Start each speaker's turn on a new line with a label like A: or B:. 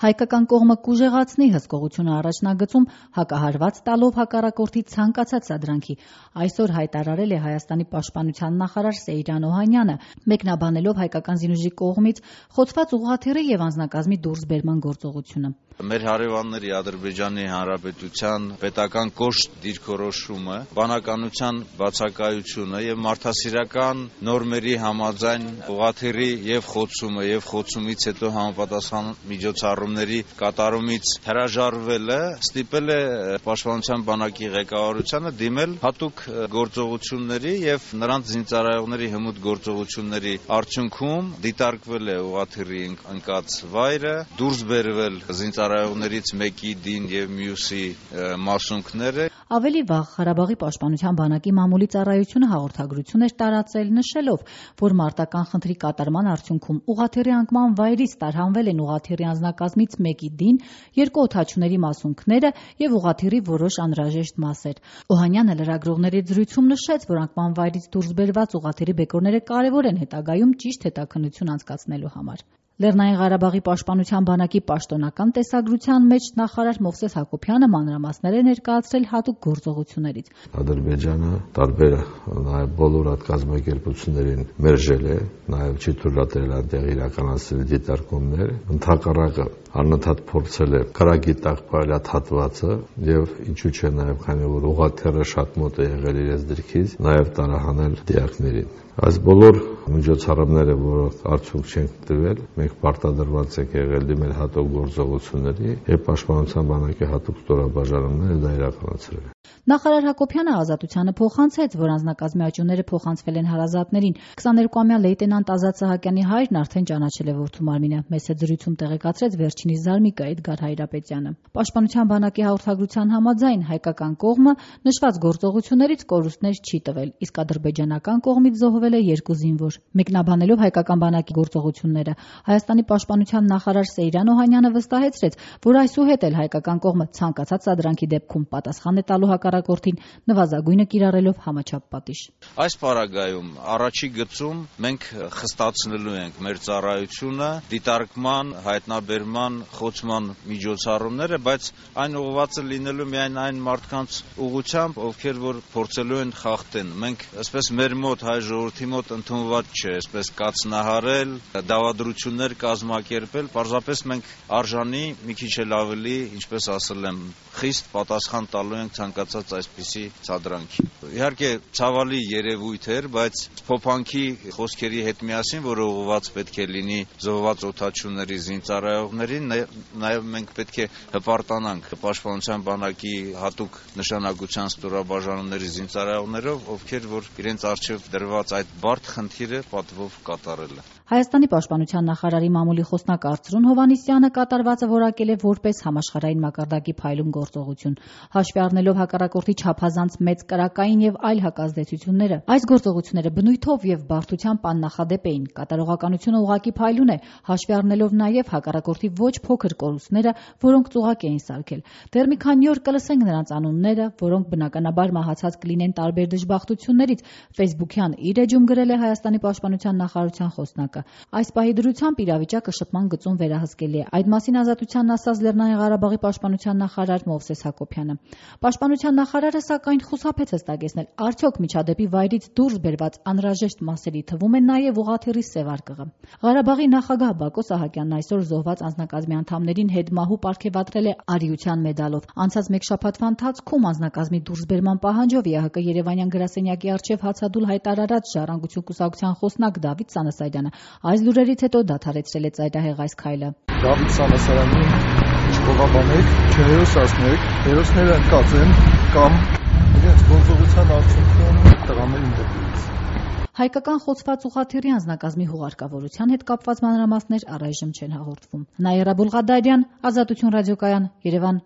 A: Հայկական կողմը կուժեղացնի հսկողությունը առաջնագծում հակահարված տալով հակառակորդի ցանկացած սադրանքի, այսօր հայտարարել է Հայաստանի պաշտպանության նախարար Սեյրան Օհանյանը, մեկնաբանելով հայկական զինուժի կողմից խոցված ուղղաթիռի եւ անձնակազմի դուրսբերման գործողությունը։
B: Մեր հարևանների Ադրբեջանի Հանրապետության պետական կոշտ դիրքորոշումը, բանականության բացակայությունը եւ մարդասիրական նորմերի համաձայն ուղղաթիռի եւ խոցումը եւ խոցումից հետո համապատասխան միջոցառումների կատարումից հրաժարվելը ստիպել է Պաշտպանության բանակի ղեկավարությանը դիմել հատուկ գործողությունների եւ նրանց զինծառայողների հմուտ գործողությունների արդյունքում դիտարկվել է ուղղաթիռի ընկած վայրը, դուրս բերվել զինծառայողներից մեկի դին եւ մյուսի մասունքները։
A: Ավելի վաղ Ղարաբաղի պաշտպանության բանակի մամուլի ծառայությունը հաղորդագրություն էր տարածել, նշելով, որ մարտական խնդրի կատարման արդյունքում ուղղաթիռի անկման վայրից տարհանվել են ուղղաթիռի անձնակազմից մեկի դին, 2 օդաչուների մասունքները եւ ուղղաթիռի որոշ անհրաժեշտ մասեր։ Օհանյանը լրագրողների զրույցում նշեց, որ անկման վայրից դուրս բերված ուղղաթիռի բեկորները կարեւոր են հետագայում ճիշտ հետաքննություն անցկացնելու համար։ Լեռնային Ղարաբաղի պաշտպանության բանակի պաշտոնական տեսագրության մեջ նախարար Մովսես Հակոբյանը մանրամասներ է ներկայացրել հատուկ գործողություններից։
C: Ադրբեջանը տարբեր նաև բոլոր այդ կազմակերպություններին մերժել է, նաև չի թույլատրել այնտեղ իրականացնել դիտարկումներ, ընդհակառակը անընդհատ փորձել է քրագի տակ պայլատ հատվածը եւ ինչու՞ չէ նաև քանի որ ուղղաթիռը շատ մոտ է եղել իրենց դիրքից, նաև տարահանել դիակներին։ Այս բոլոր միջոցառումները, որոնք արդյունք չեն տվել, մենք պարտադրված ենք եղել դիմել հատուկ գործողությունների եւ պաշտպանության բանակի հատուկ ստորաբաժանումները դա իրականացրել։
A: Նախարար Հակոբյանը Ազատությանը փոխանցեց, որ անձնակազմի աճուները փոխանցվել են հարազատներին։ 22-ամյա լեյտենանտ Ազատ Սահակյանի հայրն արդեն ճանաչել է որդու մարմինը, մեծ զրույցում տեղեկացրեց վերջինիս զարմիկա Էդգար Հայրապետյանը։ Պաշտպանության բանակի հաղորդագրության համաձայն հայկական կողմը նշված գործողություններից կորուստներ չի տվել, իսկ ադրբեջանական կողմից զոհվել է 2 զինվոր։ Մեկնաբանելով հայկական բանակի գործողությունները, Հայաստանի պաշտպանության նախարար Սեյրան Օհանյանը վստահեցրեց, որ այսուհետ էլ հայկական կողմը ցանկացած սադրանքի դեպքում պատասխան է տալու հակառակորդին, նվազագույնը կիրառելով համաչափ պատիժ։
B: Այս պարագայում առաջի գծում մենք խստացնելու ենք մեր ծառայությունը, դիտարկման, հայտնաբերման, խոցման միջոցառումները, բայց այն ուղղվածը լինելու միայն այն մարդկանց ուղղությամբ, ովքեր որ փորձելու են խախտեն։ Մենք այսպես մեր մոտ հայ ժողովրդի մոտ ընդունված չէ, այսպես կացնահարել, դավադրություններ կազմակերպել, պարզապես մենք արժանի մի քիչ էլ ավելի, ինչպես ասել եմ, խիստ պատասխան տալու ենք ցանկացած այսպիսի սադրանքի։ Իհարկե ցավալի երևույթ էր, բայց փոփանքի խոսքերի հետ միասին, որը ուղղված պետք է լինի զոհված օդաչուների զինծառայողներին, նաև մենք պետք է հպարտանանք պաշտպանության բանակի հատուկ նշանակության ստորաբաժանումների զինծառայողներով, ովքեր որ իրենց առջև դրված այդ բարդ խնդիրը պատվով կատարել են։
A: Հայաստանի պաշտպանության նախարարի մամուլի խոսնակ Արծրուն Հովհաննիսյանը կատարվածը որակել է որպես համաշխարհային մակարդակի փայլուն գործողություն, հաշվի առնելով հակառակորդի չափազանց մեծ կրակային եւ այլ հակազդեցությունները։ Այս գործողությունները բնույթով եւ բարդությամբ աննախադեպ էին։ Կատարողականությունը ուղղակի փայլուն է, հաշվի առնելով նաեւ հակառակորդի ոչ փոքր կորուստները, որոնք ծուղակ էին սարքել։ Դեռ մի քանի օր կլսենք նրանց անունները, որոնք բնականաբար մահացած կլինեն տարբեր դժբախտություններից, Facebook-յան իր էջում գրել է Հայաստանի պաշտպանության նախարարության խոսնակը։ Այս պահի դրությամբ իրավիճակը շփման գծում վերահսկելի է։ Այդ մասին Ազատությանն ասաց Լեռնային Ղարաբաղի պաշտպանության նախարար Մովսես Հակոբյանը։ Պաշտպանության նախարարը սակայն խուսափեց հստակեցնել, արդյոք միջադեպի վայրից դուրս բերված անհրաժեշտ մասերի թվում է նաև ուղղաթիռի սևարկղը։ Ղարաբաղի նախագահ Բակո Սահակյանն այսօր զոհված անձնակազմի անդամներին հետմահու պարգևատրել է արիության մեդալով։ Անցած մեկ շաբաթվա ընթացքում անձնակազմի դուրսբերման պահանջով ԵԱՀԿ Երևանյան գրասենյակի առջև հացադուլ հայտարարած Ժառանգություն կուսակցության խոսնակ Դավիթ Սանասարյանը այս լուրերից հետո դադարեցրել է ծայրահեղ այս քայլը։
D: Դավիթ Սանասարյանին չփոխաբանեք, չհերոսացնեք, հերոսները ընկած են կամ իրենց գործողության արդյունքում տղաներին դեպից։
A: Հայկական խոցված ուղղաթիռի անձնակազմի հուղարկավորության հետ կապված մանրամասներ առայժմ չեն հաղորդվում։ Նաիրա Բուլղադարյան, Ազատություն ռադիոկայան, Երևան։